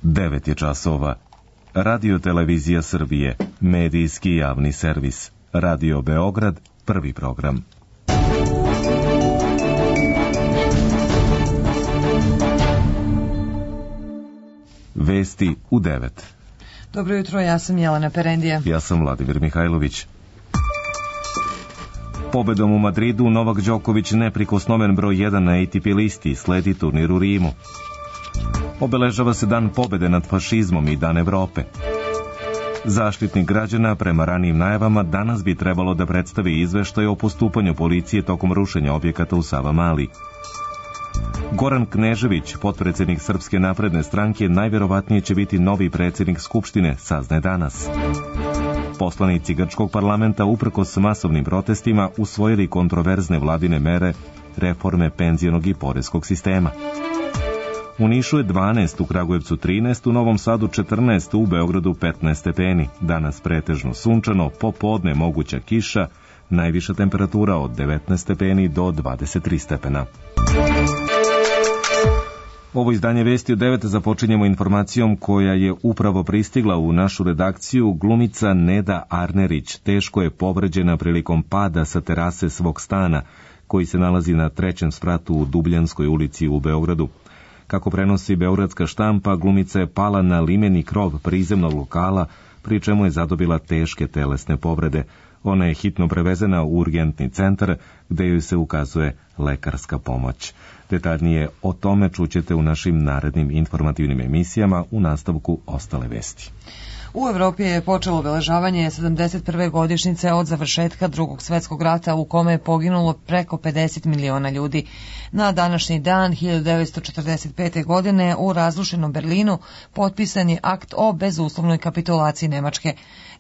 9 je časova. Radio Televizija Srbije, medijski javni servis. Radio Beograd, prvi program. Vesti u 9. Dobro jutro, ja sam Jelena Perendija. Ja sam Vladimir Mihajlović. Pobedom u Madridu Novak Đoković neprikosnoven broj 1 na ATP listi, sledi turnir u Rimu. Obeležava se Dan pobede nad fašizmom i Dan Evrope. Zaštitnik građana, prema ranijim najavama, danas bi trebalo da predstavi izveštaj o postupanju policije tokom rušenja objekata u Savamali. Goran Knežević, potpredsednik Srpske napredne stranke, najverovatnije će biti novi predsednik Skupštine, saznaje danas. Poslanici grčkog parlamenta, uprkos masovnim protestima, usvojili kontroverzne vladine mere reforme penzionog i poreskog sistema. U Nišu je 12, u Kragujevcu 13, u Novom Sadu 14, u Beogradu 15 stepeni. Danas pretežno sunčano, popodne moguća kiša, najviša temperatura od 19 stepeni do 23 stepena. Ovo izdanje Vesti u 9 započinjemo informacijom koja je upravo pristigla u našu redakciju. Glumica Neda Arnerić teško je povređena prilikom pada sa terase svog stana, koji se nalazi na 3. spratu u Dubljanskoj ulici u Beogradu. Kako prenosi beogradska štampa, glumica je pala na limeni krov prizemnog lokala, pri čemu je zadobila teške telesne povrede. Ona je hitno prevezena u urgentni centar, gde joj se ukazuje lekarska pomoć. Detaljnije o tome čućete u našim narednim informativnim emisijama, u nastavku ostale vesti. U Evropi je počelo obeležavanje 71. godišnjice od završetka Drugog svetskog rata, u kome je poginulo preko 50 miliona ljudi. Na današnji dan 1945. godine u razrušenom Berlinu potpisan je akt o bezuslovnoj kapitulaciji Nemačke.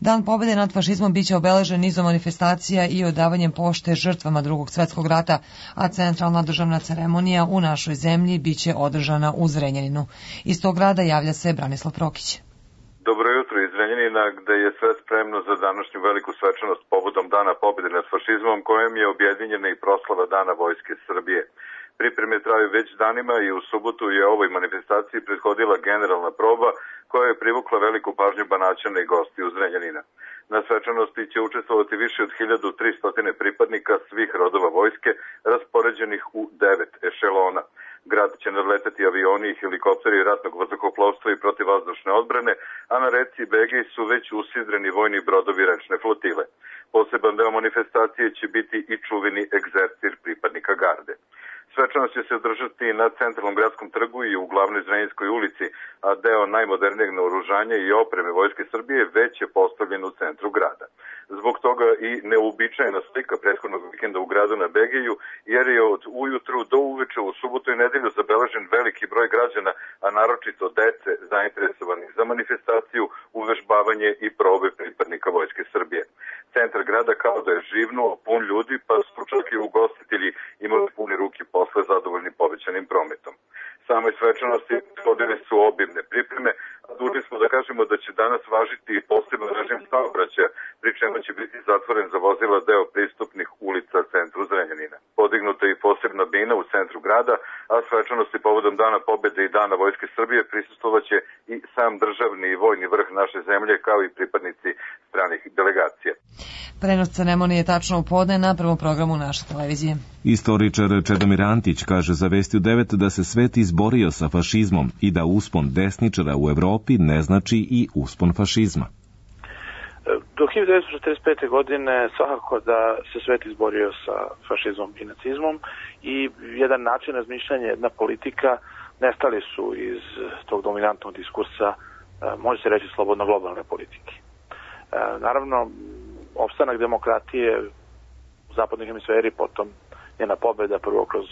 Dan pobede nad fašizmom biće obeležen nizom manifestacija i odavanjem pošte žrtvama Drugog svetskog rata, a centralna državna ceremonija u našoj zemlji biće održana u Zrenjaninu. Iz tog grada javlja se Branislav Prokić. Dobro jutro iz Zrenjanina, gde je sve spremno za današnju veliku svečanost povodom Dana pobjede nad fašizmom, kojem je objedinjena i proslava Dana Vojske Srbije. Pripreme traju već danima i u subotu je ovoj manifestaciji prethodila generalna proba koja je privukla veliku pažnju Banaćana i gostiju Zrenjanina. Na svečanosti će učestvovati više od 1300 pripadnika svih rodova vojske, raspoređenih u 9 ešelona. Grad će nadletati avioni i helikopteri ratnog vazduhoplovstva i protivvazdušne odbrane, a na reci Begej su već usidreni vojni brodovi rečne flotile. Poseban deo manifestacije će biti i čuveni egzercir pripadnika garde. Svečanost će se održati na centralnom gradskom trgu i u glavnoj Zrenjaninskoj ulici, a deo najmodernijeg naoružanja i opreme Vojske Srbije već je postavljen u centru grada. Zbog toga i neuobičajena slika prethodnog vikenda u gradu na Begeju, jer je od ujutru do uveče u subotu i nedelju zabeležen veliki broj građana, a naročito dece zainteresovanih za manifestaciju, uvežbavanje i probe pripadnika Vojske Srbije. Centar grada kao da je živnuo, pun ljudi, pa su čak i ugostitelji imali pune ruke posle zadovoljni povećanim prometom. Same svečanosti shodile su obimne pripreme, a dužni smo da kažemo da će danas važiti poseban režim saobraćaja, pri čemu će biti zatvoren za vozila deo pristupnih ulica centru Zrenjanina. Podignuta je i posebna bina u centru grada, a svečanosti povodom Dana pobjede i Dana Vojske Srbije prisustvovaće i sam državni i vojni vrh naše zemlje, kao i pripadnici stranih delegacija. Prenos ceremonije tačno u podne na prvom programu naše televizije. Istoričar Čedomir Antić kaže za Vesti u 9 da se svet izborio sa fašizmom i da uspon desničara u Evropi ne znači i uspon fašizma. Do 1945. godine svakako da se svet izborio sa fašizmom i nacizmom i jedan način razmišljanja, jedna politika nestali su iz tog dominantnog diskursa, može se reći slobodno globalne politike. Naravno, opstanak demokratije u zapadnoj hemisferi, potom njena pobjeda prvo kroz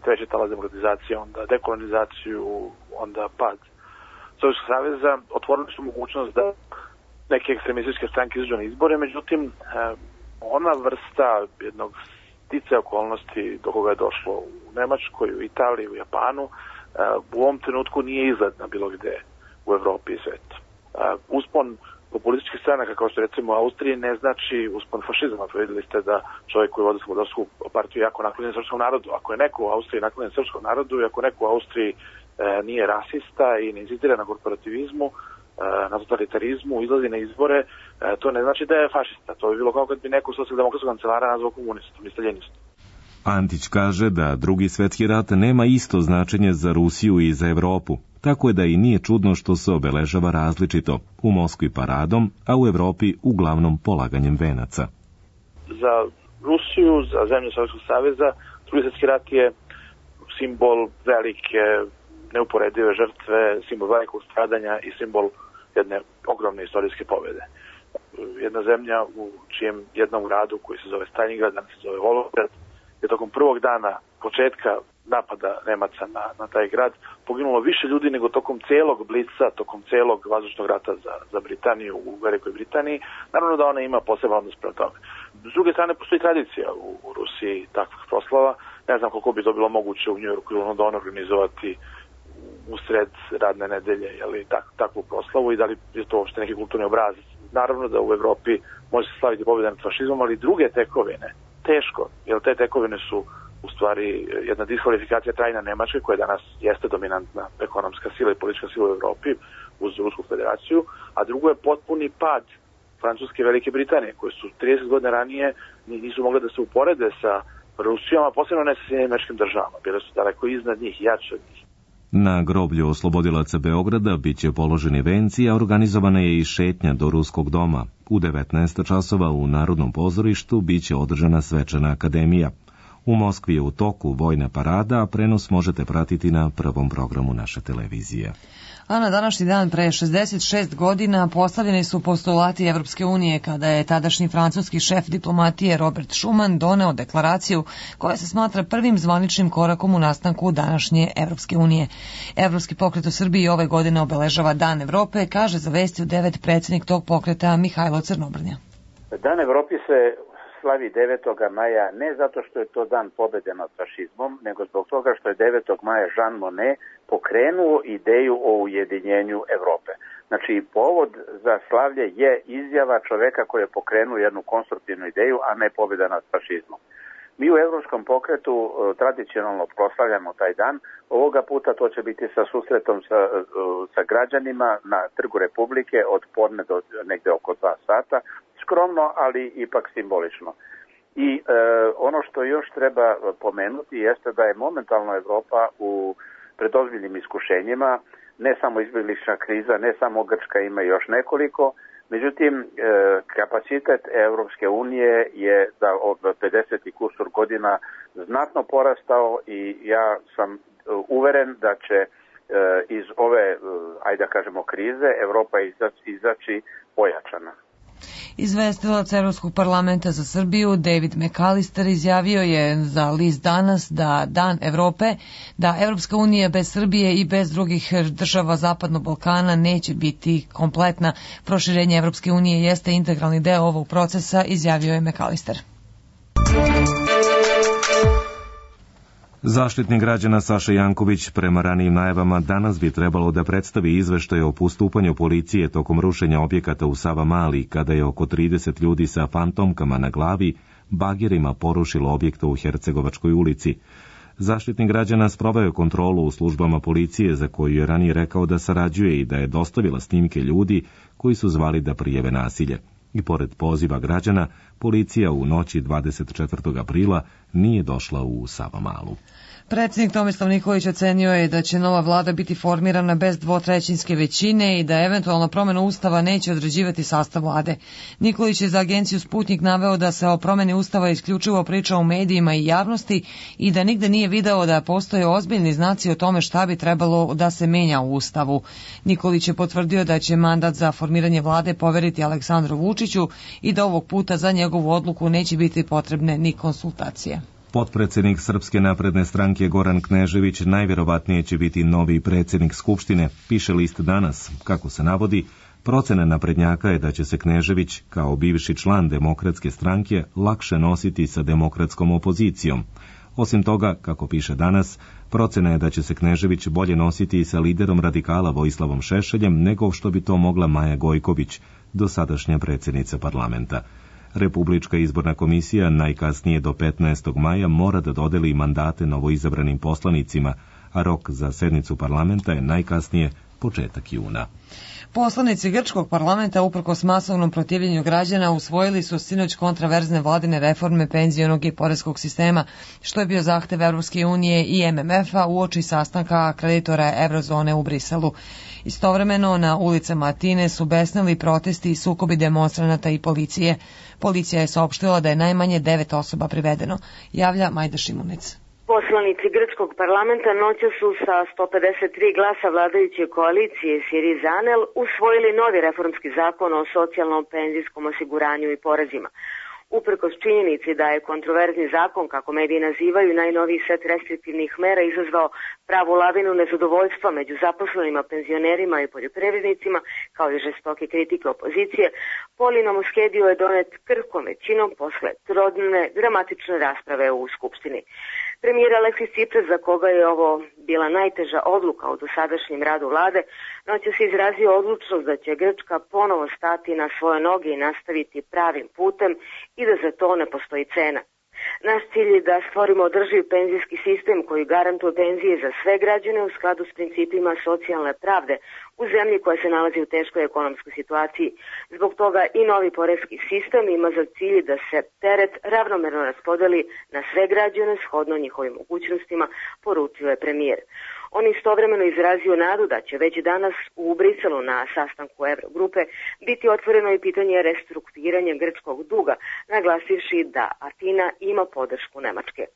treći talas demokratizacije, onda dekolonizaciju, onda pad Sovjetskog saveza, otvorili su mogućnost da neke ekstremističke stranke izađu na izbore, međutim, ona vrsta jednog sticaja okolnosti do koga je došlo u Nemačkoj, u Italiji, u Japanu, u ovom trenutku nije izgledna bilo gde u Evropi i svetu. Uspon populističkih stranaka, kao što recimo u Austriji, ne znači uspon fašizma. Vidjeli ste da čovjek koji vodi Slobodovsku partiju jako naklonjen srpskom narodu. Ako je neko u Austriji naklonjen srpskom narodu i ako neko u Austriji nije rasista i ne inzistira na korporativizmu, na totalitarizmu, izlazi na izbore, to ne znači da je fašista. To bi bilo kao kad bi neko socijaldemokratskog kancelara nazvao komunistom i staljinistom. Antić kaže da Drugi svjetski rat nema isto značenje za Rusiju i za Evropu, tako je da i nije čudno što se obeležava različito, u Moskvi paradom, a u Evropi uglavnom polaganjem venaca. Za Rusiju, za zemlje Sovjetskog saveza, Drugi svjetski rat je simbol velike, neuporedive žrtve, simbol velikog stradanja i simbol jedne ogromne istorijske pobjede. Jedna zemlja u čijem jednom gradu koji se zove Stalingrad, danas se zove Volgograd, je tokom prvog dana početka napada Nemaca na taj grad poginulo više ljudi nego tokom celog blica, tokom celog vazdušnog rata za Britaniju u Velikoj Britaniji. Naravno da ona ima poseban odnos prema tome. S druge strane, postoji tradicija u Rusiji takvih proslava. Ne znam koliko bi to bilo moguće u Njujorku ili Londonu organizovati usred radne nedelje, takvu proslavu i da li je to uopšte neki kulturni obrazac. Naravno da u Evropi može se slaviti pobjeda nad fašizmom, ali druge tekovine teško, jer te tekovine su u stvari jedna diskvalifikacija trajna Nemačke, koja danas jeste dominantna ekonomska sila i politička sila u Evropi uz Rusku federaciju, a drugo je potpuni pad Francuske i Velike Britanije, koje su 30 godina ranije nisu mogle da se uporede sa Rusijom, a posebno ne sa Sjedinjenim Američkim Državama, bile su daleko iznad njih, jače od njih. Na groblju oslobodilaca Beograda biće položeni venci, a organizovana je i šetnja do Ruskog doma. U 19 časova u Narodnom pozorištu biće održana svečana akademija. U Moskvi je u toku vojna parada, a prenos možete pratiti na prvom programu naše televizije. A na današnji dan pre 66 godina postavljeni su postulati Evropske unije kada je tadašnji francuski šef diplomatije Robert Schuman doneo deklaraciju koja se smatra prvim zvaničnim korakom u nastanku današnje Evropske unije. Evropski pokret u Srbiji ove godine obeležava Dan Evrope, kaže za Vesti u 9 predsjednik tog pokreta Mihajlo Crnobrnja. Dan Evropi se slavi 9. maja ne zato što je to dan pobjede nad fašizmom, nego zbog toga što je 9. maja Jean Monnet pokrenuo ideju o ujedinjenju Evrope. Znači, povod za slavlje je izjava čoveka koji je pokrenuo jednu konstruktivnu ideju, a ne pobjeda nad fašizmom. Mi u Evropskom pokretu tradicionalno proslavljamo taj dan. Ovoga puta to će biti sa susretom sa građanima na Trgu Republike od podne do negde oko 2 sata. Skromno, ali ipak simbolično. I ono što još treba pomenuti jeste da je momentalno Evropa pred ozbiljnim iskušenjima, ne samo izbjeglična kriza, ne samo Grčka, ima još nekoliko. Međutim, kapacitet Evropske unije je da od 50 i kusur godina znatno porastao i ja sam uveren da će iz ove, ajde da kažemo, krize Evropa izaći pojačana. Izvestilac Evropskog parlamenta za Srbiju David McAllister izjavio je za list Danas da Dan Evrope, da Evropska unija bez Srbije i bez drugih država Zapadnog Balkana neće biti kompletna. Proširenje Evropske unije jeste integralni deo ovog procesa, izjavio je McAllister. Zaštitnik građana Saša Janković prema ranijim najavama danas bi trebalo da predstavi izveštaj o postupanju policije tokom rušenja objekata u Savamali, kada je oko 30 ljudi sa fantomkama na glavi bagerima porušilo objekta u Hercegovačkoj ulici. Zaštitnik građana sproveo kontrolu u službama policije za koju je ranije rekao da sarađuje i da je dostavila snimke ljudi koji su zvali da prijave nasilje. I pored poziva građana, policija u noći 24. aprila nije došla u Savamalu. Predsjednik Tomislav Nikolić ocenio je da će nova vlada biti formirana bez dvotrećinske većine i da eventualno promjena ustava neće određivati sastav vlade. Nikolić je za agenciju Sputnik naveo da se o promjeni ustava isključivo priča u medijima i javnosti i da nigde nije video da postoje ozbiljni znaci o tome šta bi trebalo da se menja u ustavu. Nikolić je potvrdio da će mandat za formiranje vlade poveriti Aleksandru Vučiću i da ovog puta za njegovu odluku neće biti potrebne ni konsultacije. Potpredsjednik Srpske napredne stranke Goran Knežević najvjerovatnije će biti novi predsjednik Skupštine, piše list Danas. Kako se navodi, procena naprednjaka je da će se Knežević, kao bivši član Demokratske stranke, lakše nositi sa demokratskom opozicijom. Osim toga, kako piše Danas, procena je da će se Knežević bolje nositi i sa liderom radikala Vojislavom Šešeljem nego što bi to mogla Maja Gojković, dosadašnja predsjednica parlamenta. Republička izborna komisija najkasnije do 15. maja mora da dodeli mandate novoizabranim poslanicima, a rok za sednicu parlamenta je najkasnije početak juna. Poslanici grčkog parlamenta uprkos masovnom protivljenju građana usvojili su sinoć kontraverzne vladine reforme penzionog i poreskog sistema, što je bio zahtev Evropske unije i MMF-a uoči sastanka kreditora Eurozone u Briselu. Istovremeno na ulicama Atine su besneli protesti i sukobi demonstranata i policije. Policija je saopštila da je najmanje 9 osoba privedeno, javlja Majda Šimunic. Poslanici grčkog parlamenta noća su sa 153 glasa vladajuće koalicije Syriza-ANEL usvojili novi reformski zakon o socijalnom penzijskom osiguranju i porezima. Uprkos činjenici da je kontroverzni zakon, kako mediji nazivaju, najnoviji set restriktivnih mera izazvao pravu lavinu nezadovoljstva među zaposlenima, penzionerima i poljoprivrednicima, kao i žestoke kritike opozicije, Polino Moskedio je donet krhkom većinom posle trodne dramatične rasprave u Skupštini. Premijer Aleksis Tsipras, za koga je ovo bila najteža odluka u dosadašnjem radu vlade, noćas se izrazio odlučnost da će Grčka ponovo stati na svoje noge i nastaviti pravim putem i da za to ne postoji cena. Naš cilj je da stvorimo održiv penzijski sistem koji garantuje penzije za sve građane u skladu s principima socijalne pravde u zemlji koja se nalazi u teškoj ekonomskoj situaciji. Zbog toga i novi poreski sistem ima za cilj da se teret ravnomerno raspodeli na sve građane shodno njihovim mogućnostima, poručio je premijer. On istovremeno izrazio nadu da će već danas u Briselu na sastanku Eurogrupe biti otvoreno i pitanje restrukturiranja grčkog duga, naglasivši da Atina ima podršku Nemačke.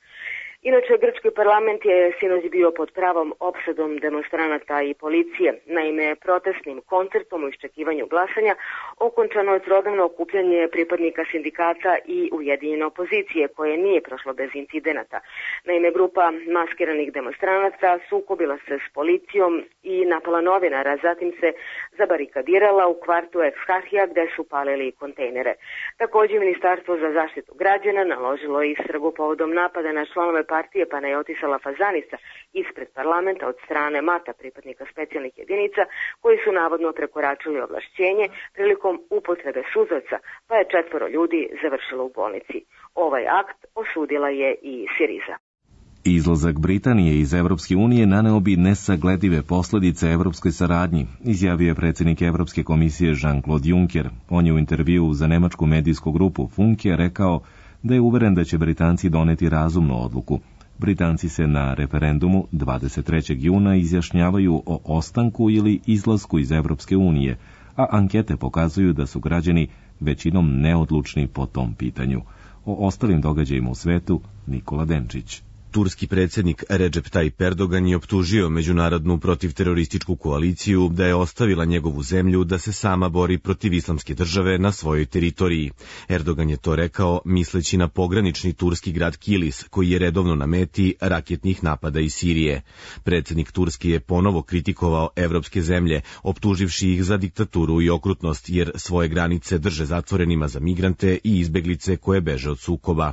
Inače, grčki parlament je sinoć bio pod pravom opsadom demonstranata i policije. Naime, protestnim koncertom u iščekivanju glasanja okončano je trodnevno okupljanje pripadnika sindikata i ujedinjene opozicije, koje nije prošlo bez incidenata. Naime, grupa maskiranih demonstranata sukobila se s policijom i napala novinara, zatim se zabarikadirala u kvartu Eksarhija gde su palili kontejnere. Također, Ministarstvo za zaštitu građana naložilo istragu povodom napada na članove partije Panajotisa Lafazanisa ispred parlamenta od strane mata pripadnika specijalnih jedinica koji su navodno prekoračili ovlašćenje prilikom upotrebe suzavca, pa je 4 ljudi završilo u bolnici. Ovaj akt osudila je i Syriza. Izlazak Britanije iz Evropske unije naneo bi nesagledive posljedice evropskoj saradnji, izjavio je predsjednik Evropske komisije Jean-Claude Juncker. On je u intervjuu za nemačku medijsku grupu Funke rekao da je uveren da će Britanci doneti razumnu odluku. Britanci se na referendumu 23. juna izjašnjavaju o ostanku ili izlasku iz Evropske unije, a ankete pokazuju da su građani većinom neodlučni po tom pitanju. O ostalim događajima u svetu Nikola Denčić. Turski predsjednik Recep Tayyip Erdogan je optužio međunarodnu protivterorističku koaliciju da je ostavila njegovu zemlju da se sama bori protiv islamske države na svojoj teritoriji. Erdogan je to rekao misleći na pogranični turski grad Kilis, koji je redovno na meti raketnih napada iz Sirije. Predsjednik Turske je ponovo kritikovao evropske zemlje, optuživši ih za diktaturu i okrutnost, jer svoje granice drže zatvorenima za migrante i izbeglice koje beže od sukoba.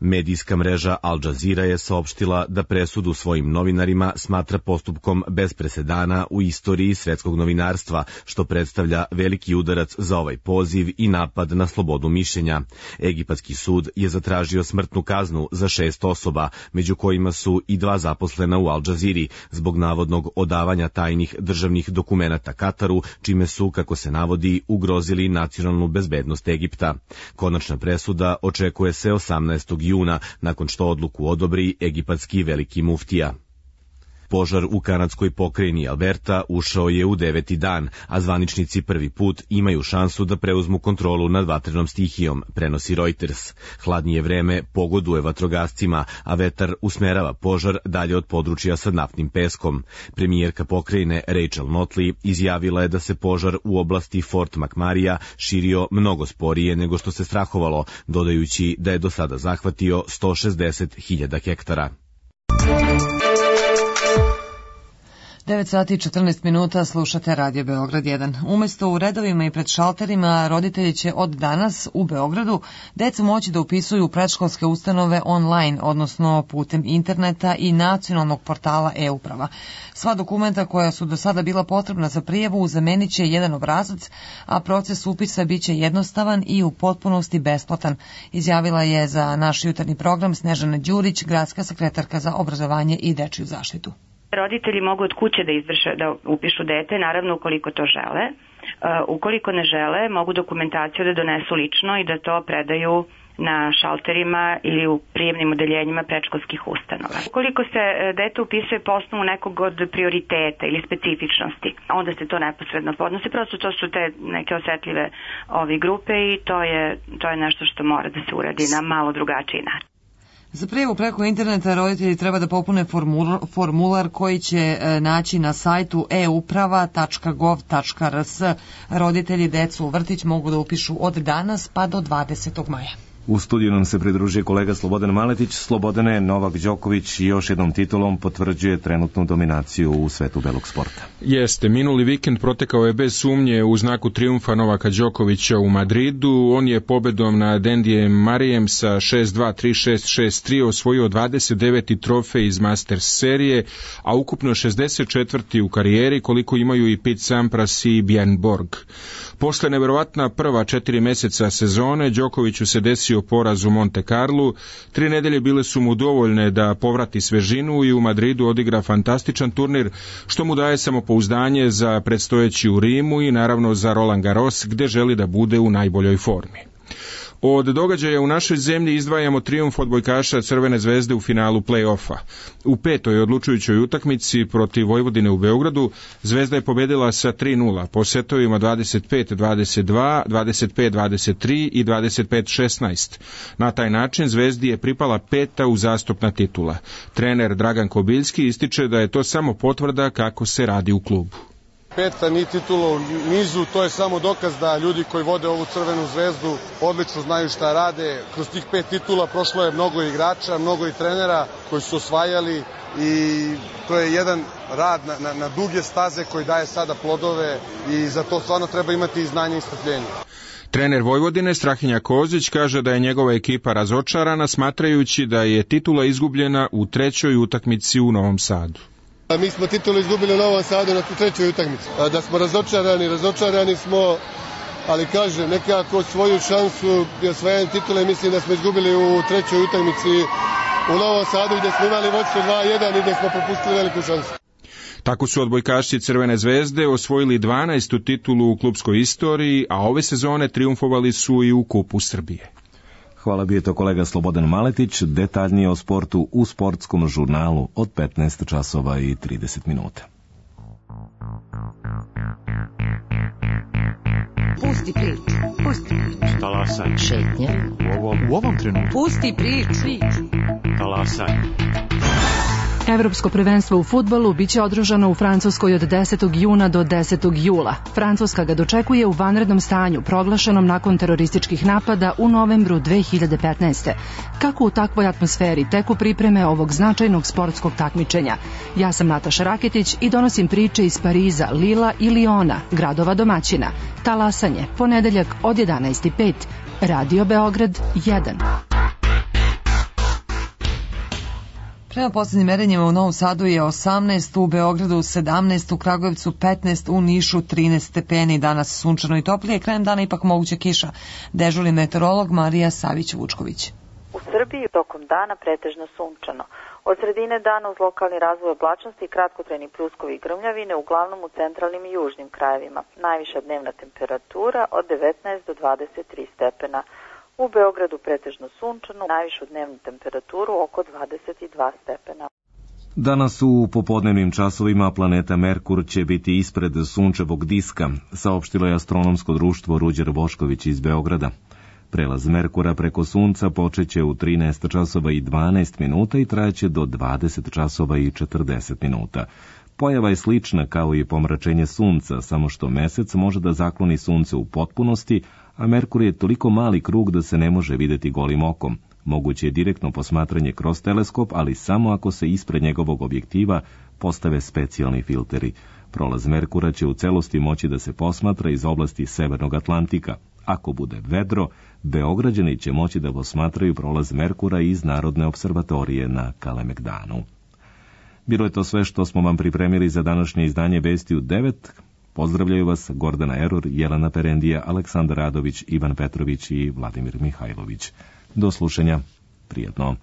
Medijska mreža Al Jazeera je saopštila da presudu svojim novinarima smatra postupkom bez presedana u istoriji svetskog novinarstva, što predstavlja veliki udarac za ovaj poziv i napad na slobodu mišljenja. Egipatski sud je zatražio smrtnu kaznu za 6 osoba, među kojima su i 2 zaposlena u Al Jazeeri, zbog navodnog odavanja tajnih državnih dokumenata Kataru, čime su, kako se navodi, ugrozili nacionalnu bezbednost Egipta. Konačna presuda očekuje se 18. juna, nakon što odluku odobri egipatski veliki muftija. Požar u kanadskoj pokrajini Alberta ušao je u 9. dan, a zvaničnici prvi put imaju šansu da preuzmu kontrolu nad vatrenom stihijom, prenosi Reuters. Hladnije vreme pogoduje vatrogascima, a vetar usmerava požar dalje od područja sa naftnim peskom. Premijerka pokrajine Rachel Notley izjavila je da se požar u oblasti Fort McMurray širio mnogo sporije nego što se strahovalo, dodajući da je do sada zahvatio 160.000 hektara. 9 sati i 14 minuta slušate Radio Beograd 1. Umesto u redovima i pred šalterima, roditelji će od danas u Beogradu decu moći da upisuju u predškolske ustanove online, odnosno putem interneta i nacionalnog portala e-uprava. Sva dokumenta koja su do sada bila potrebna za prijavu zamenit će jedan obrazac, a proces upisa biće jednostavan i u potpunosti besplatan, izjavila je za naš jutarnji program Snežana Đurić, gradska sekretarka za obrazovanje i dečiju zaštitu. Roditelji mogu od kuće da upišu dete, naravno ukoliko to žele. Ukoliko ne žele, mogu dokumentaciju da donesu lično i da to predaju na šalterima ili u prijemnim odeljenjima predškolskih ustanova. Ukoliko se dete upisuje po osnovu nekog od prioriteta ili specifičnosti, onda se to neposredno podnosi. Prosto to su te neke osetljive grupe i to je nešto što mora da se uradi na malo drugačiji način. Za prijavu preko interneta roditelji treba da popune formular koji će naći na sajtu euprava.gov.rs. Roditelji decu u vrtić mogu da upišu od danas pa do 20. maja. U studiju nam se pridružuje kolega Slobodan Maletić. Slobodane, Novak Đoković još jednom titulom potvrđuje trenutnu dominaciju u svetu belog sporta. Jeste, minuli vikend protekao je bez sumnje u znaku trijumfa Novaka Đokovića u Madridu. On je pobedom nad Andyjem Murrayem sa 6-2, 3-6, 6-3 osvojio 29. trofej iz Masters serije, a ukupno 64. u karijeri, koliko imaju i Pete Sampras i Bjorn Borg. Posle neverovatna prva 4 meseca sezone, Đokoviću se desio poraz u Monte Carlu. 3 nedelje bile su mu dovoljne da povrati svežinu i u Madridu odigra fantastičan turnir, što mu daje samopouzdanje za predstojeći u Rimu i naravno za Roland Garros, gde želi da bude u najboljoj formi. Od događaja u našoj zemlji izdvajamo trijumf odbojkaša Crvene zvezde u finalu play-offa. U 5. odlučujućoj utakmici protiv Vojvodine u Beogradu Zvezda je pobedila sa 3-0 po setovima 25-22, 25-23 i 25-16. Na taj način Zvezdi je pripala 5. uzastopna titula. Trener Dragan Kobiljski ističe da je to samo potvrda kako se radi u klubu. 5. ni titula u nizu, to je samo dokaz da ljudi koji vode ovu Crvenu zvezdu odlično znaju šta rade. Kroz tih 5 titula prošlo je mnogo igrača, mnogo i trenera koji su osvajali i to je jedan rad na duge staze koji daje sada plodove i za to stvarno treba imati i znanje i strpljenje. Trener Vojvodine Strahinja Kozić kaže da je njegova ekipa razočarana, smatrajući da je titula izgubljena u 3. utakmici u Novom Sadu. Mi smo titulu izgubili u Novom Sadu na 3. utakmici. Da smo razočarani smo, ali kažem, nekako svoju šansu i osvajanje titule mislim da smo izgubili u 3. utakmici u Novom Sadu gdje smo imali vodstvo 2-1 i gdje smo propustili veliku šansu. Tako su odbojkaši Crvene zvezde osvojili 12. titulu u klubskoj istoriji, a ove sezone trijumfovali su i u Kupu Srbije. Hvala, bio je to kolega Slobodan Maletić. Detaljnije o sportu u sportskom žurnalu od 15 časova i 30 minuta. Pusti priču. Talasaj. Šetnje. U ovom trenutku. Pusti priču. Talasaj. Evropsko prvenstvo u fudbalu biće održano u Francuskoj od 10. juna do 10. jula. Francuska ga dočekuje u vanrednom stanju, proglašenom nakon terorističkih napada u novembru 2015. Kako u takvoj atmosferi teku pripreme ovog značajnog sportskog takmičenja? Ja sam Nataša Raketić i donosim priče iz Pariza, Lila i Liona, gradova domaćina. Talasanje, ponedeljak od 11:05. Radio Beograd 1. Prema posljednjim merenjima u Novom Sadu je 18, u Beogradu 17, u Kragujevcu 15, u Nišu 13 stepeni, danas sunčano i toplije, krajem dana ipak moguća kiša. Dežurni meteorolog Marija Savić-Vučković. U Srbiji tokom dana pretežno sunčano. Od sredine dana uz lokalni razvoj oblačnosti i kratkotrajni pljuskovi i grmljavine, uglavnom u centralnim i južnim krajevima. Najviša dnevna temperatura od 19 do 23 stepena. U Beogradu pretežno sunčano, najvišu dnevnu temperaturu oko 22 stepena. Danas u popodnevnim časovima planeta Merkur će biti ispred sunčevog diska, saopštilo je astronomsko društvo Ruđer Bošković iz Beograda. Prelaz Merkura preko sunca počeće u 13 časova i 12 minuta i trajaće do 20 časova i 40 minuta. Pojava je slična kao i pomračenje sunca, samo što mesec može da zakloni sunce u potpunosti, a Merkur je toliko mali krug da se ne može videti golim okom. Moguće je direktno posmatranje kroz teleskop, ali samo ako se ispred njegovog objektiva postave specijalni filteri. Prolaz Merkura će u celosti moći da se posmatra iz oblasti Severnog Atlantika. Ako bude vedro, Beograđani će moći da posmatraju prolaz Merkura iz Narodne observatorije na Kalemegdanu. Bilo je to sve što smo vam pripremili za današnje izdanje Vesti u 9. Pozdravljaju vas Gordana Erur, Jelena Perendija, Aleksandar Radović, Ivan Petrović i Vladimir Mihajlović. Do slušanja. Prijatno.